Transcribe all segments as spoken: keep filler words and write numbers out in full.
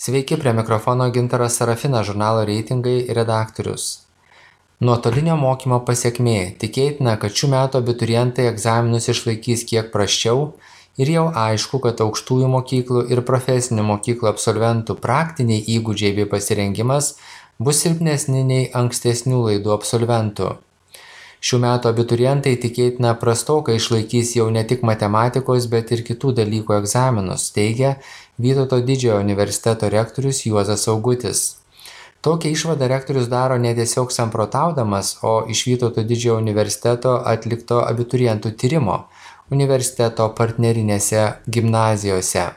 Sveiki, prie mikrofono Gintaras Sarafinas, žurnalo Reitingai redaktorius. Nuotolinio mokymo pasekmė. Tikėtina, kad šių metų abiturientai egzaminus išlaikys kiek prasčiau ir jau aišku, kad aukštųjų mokyklų ir profesinių mokyklų absolventų praktiniai įgūdžiai bei pasirengimas bus silpnesni nei ankstesnių laidų absolventų. Šių metų abiturientai tikėtina prastokai išlaikys jau ne tik matematikos, bet ir kitų dalykų egzaminus, teigia Vytauto Didžiojo universiteto rektorius Juozas Augutis. Tokią išvadą rektorius daro ne tiesiog samprotaudamas, o iš Vytauto Didžiojo universiteto atlikto abiturientų tyrimo universiteto partnerinėse gimnazijose.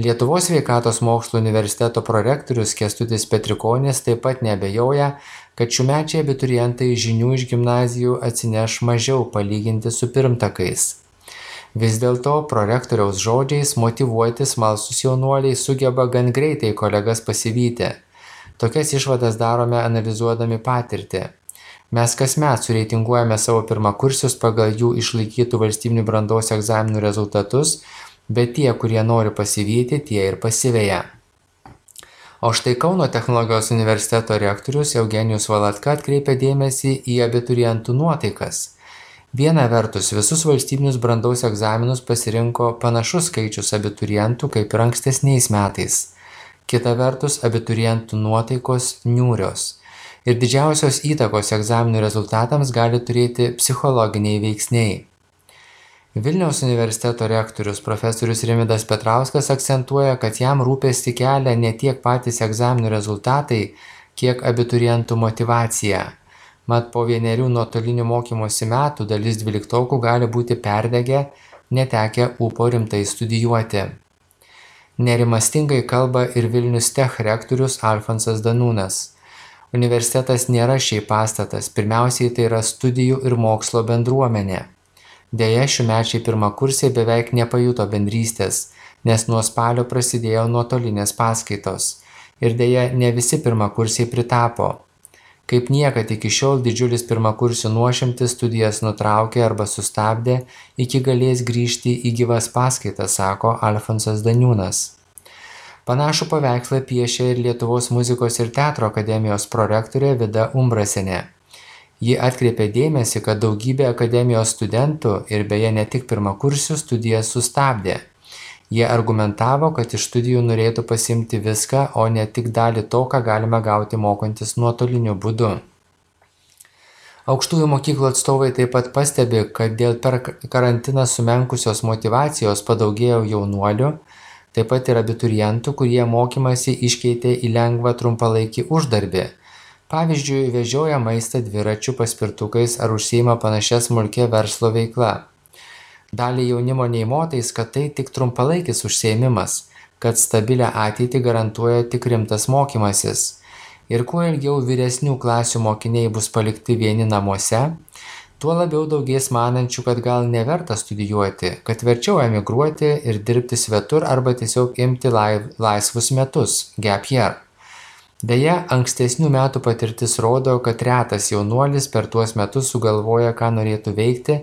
Lietuvos sveikatos mokslų universiteto prorektorius Kęstutis Petrikonis taip pat neabejoja, kad šiųmečiai abiturientai žinių iš gimnazijų atsineš mažiau palyginti su pirmtakais. Vis dėlto prorektoriaus žodžiais motyvuoti smalsūs jaunuoliai sugeba gan greitai kolegas pasivyti. Tokias išvadas darome analizuodami patirtį. Mes kasmet sureitinguojame savo pirmakursius pagal jų išlaikytų valstybinių brandos egzaminų rezultatus, bet tie, kurie nori pasivyti, tie ir pasiveja. O štai Kauno technologijos universiteto rektorius Eugenijus Valatka atkreipia dėmesį į abiturientų nuotaikas. Viena vertus, visus valstybinius brandos egzaminus pasirinko panašus skaičius abiturientų kaip ir ankstesniais metais. Kita vertus, abiturientų nuotaikos niūrios. Ir didžiausios įtakos egzaminų rezultatams gali turėti psichologiniai veiksniai. Vilniaus universiteto rektorius profesorius Rimvydas Petrauskas akcentuoja, kad jam rūpestį kelia ne tiek patys egzaminų rezultatai, kiek abiturientų motyvacija. Mat po vienerių nuotolinių mokymosi metų dalis dvyliktokų gali būti perdegę, netekę ūpo rimtai studijuoti. Nerimastingai kalba ir Vilnius Tech rektorius Alfonsas Danūnas. Universitetas nėra šiaip pastatas, pirmiausiai tai yra studijų ir mokslo bendruomenė. Deja, šiųmečiai pirmakursiai beveik nepajuto bendrystės, nes nuo spalio prasidėjo nuotolinės paskaitos. Ir deja, ne visi pirmakursiai pritapo. Kaip niekad iki šiol didžiulis pirmakursių nuošimtis studijas nutraukė arba sustabdė, iki galės grįžti į gyvas paskaitas, sako Alfonsas Daniūnas. Panašų paveikslą piešia ir Lietuvos muzikos ir teatro akademijos prorektorė Vida Umbrasienė. Ji atkreipė dėmesį, kad daugybė akademijos studentų ir beje ne tik pirmakursių studijas sustabdė. Jie argumentavo, kad iš studijų norėtų pasiimti viską, o ne tik dalį to, ką galime gauti mokantis nuotoliniu būdu. Aukštųjų mokyklų atstovai taip pat pastebi, kad dėl per karantiną sumenkusios motyvacijos padaugėjo jaunuolių, taip pat ir abiturientų, kurie mokymasi iškeitė į lengvą trumpalaikį uždarbį. Pavyzdžiui, vežioja maistą dviračių paspirtukais ar užsiima panašia smulkia verslo veikla. Dalį jaunimo neįmotais, kad tai tik trumpalaikis užsiėmimas, kad stabilią ateitį garantuoja tik rimtas mokymasis. Ir kuo ilgiau vyresnių klasių mokiniai bus palikti vieni namuose, tuo labiau daugės manančių, kad gal neverta studijuoti, kad verčiau emigruoti ir dirbti svetur arba tiesiog imti laisvus metus, gap year. Deja, ankstesnių metų patirtis rodo, kad retas jaunuolis per tuos metus sugalvoja, ką norėtų veikti,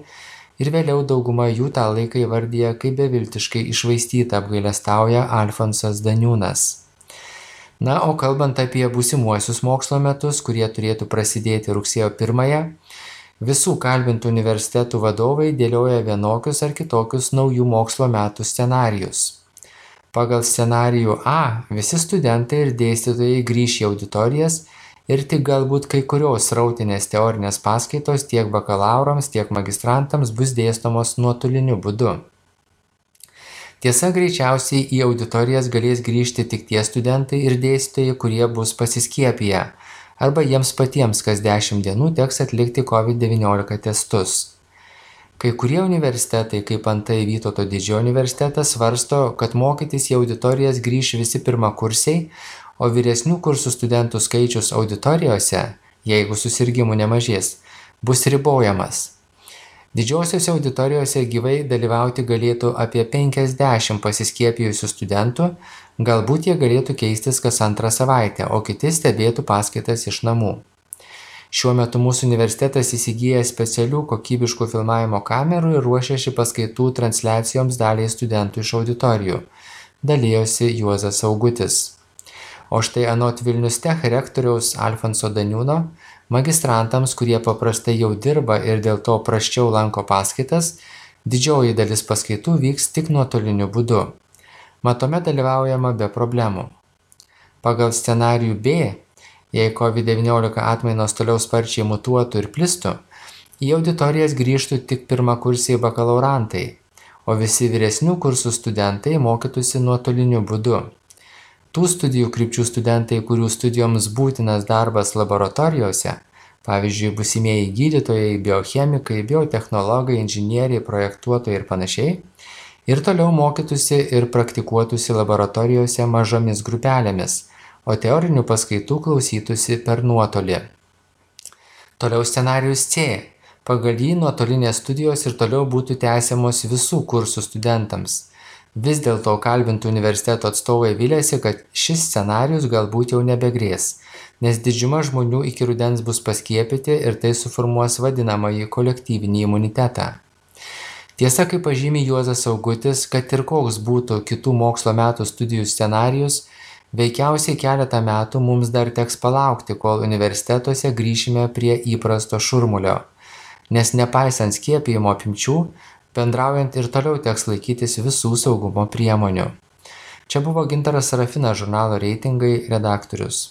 ir vėliau dauguma jų tą laiką įvardyja kaip beviltiškai iššvaistytą, apgailestauja Alfonsas Daniūnas. Na, o kalbant apie būsimuosius mokslo metus, kurie turėtų prasidėti rugsėjo pirmąją, visų kalbintų universitetų vadovai dėlioja vienokius ar kitokius naujų mokslo metų scenarijus. Pagal scenarijų A visi studentai ir dėstytojai grįš į auditorijas ir tik galbūt kai kurios srautinės teorinės paskaitos tiek bakalaurams, tiek magistrantams bus dėstomos nuotoliniu būdu. Tiesa, greičiausiai į auditorijas galės grįžti tik tie studentai ir dėstytojai, kurie bus pasiskiepiję, arba jiems patiems kas dešimt dienų teks atlikti covid devyniolika testus. Kai kurie universitetai, kaip antai Vytauto Didžiojo universitetas, svarsto, kad mokytis į auditorijas grįš visi pirmakursiai, o vyresnių kursų studentų skaičius auditorijose, jeigu susirgimų nemažės, bus ribojamas. Didžiosiose auditorijose gyvai dalyvauti galėtų apie penkiasdešimt pasiskiepijusių studentų, galbūt jie galėtų keistis kas antrą savaitę, o kiti stebėtų paskaitas iš namų. Šiuo metu mūsų universitetas įsigyja specialių kokybiškų filmavimo kamerų ir ruošiasi paskaitų transliacijoms daliai studentų iš auditorijų, dalijosi Juozas Augutis. O štai anot Vilnius Tech rektoriaus Alfonso Daniūno, magistrantams, kurie paprastai jau dirba ir dėl to prasčiau lanko paskaitas, didžioji dalis paskaitų vyks tik nuotoliniu būdu. Matome dalyvaujama be problemų. Pagal scenarijų B, jei COVID devyniolika atmainos toliau sparčiai mutuotų ir plistų, į auditorijas grįžtų tik pirmakursiai bakalaurantai, o visi vyresnių kursų studentai mokytųsi nuotoliniu būdu. Tų studijų krypčių studentai, kurių studijoms būtinas darbas laboratorijose, pavyzdžiui, būsimieji gydytojai, biochemikai, biotechnologai, inžinieriai, projektuotojai ir panašiai, ir toliau mokytųsi ir praktikuotųsi laboratorijose mažomis grupelėmis, o teorinių paskaitų klausytųsi per nuotolį. Toliau scenarijus C. Pagal jį nuotolinės studijos ir toliau būtų tęsiamos visų kursų studentams. Vis dėlto kalbintų universiteto atstovai vylėsi, kad šis scenarijus galbūt jau nebegrės, nes didžiuma žmonių iki rudens bus paskiepyti ir tai suformuos vadinamąjį kolektyvinį imunitetą. Tiesa, kaip pažymi Juozas Augutis, kad ir koks būtų kitų mokslo metų studijų scenarijus, veikiausiai keletą metų mums dar teks palaukti, kol universitetuose grįšime prie įprasto šurmulio, nes nepaisant skiepijimo apimčių, bendraujant ir toliau teks laikytis visų saugumo priemonių. Čia buvo Gintaras Sarafinas, žurnalo Reitingai redaktorius.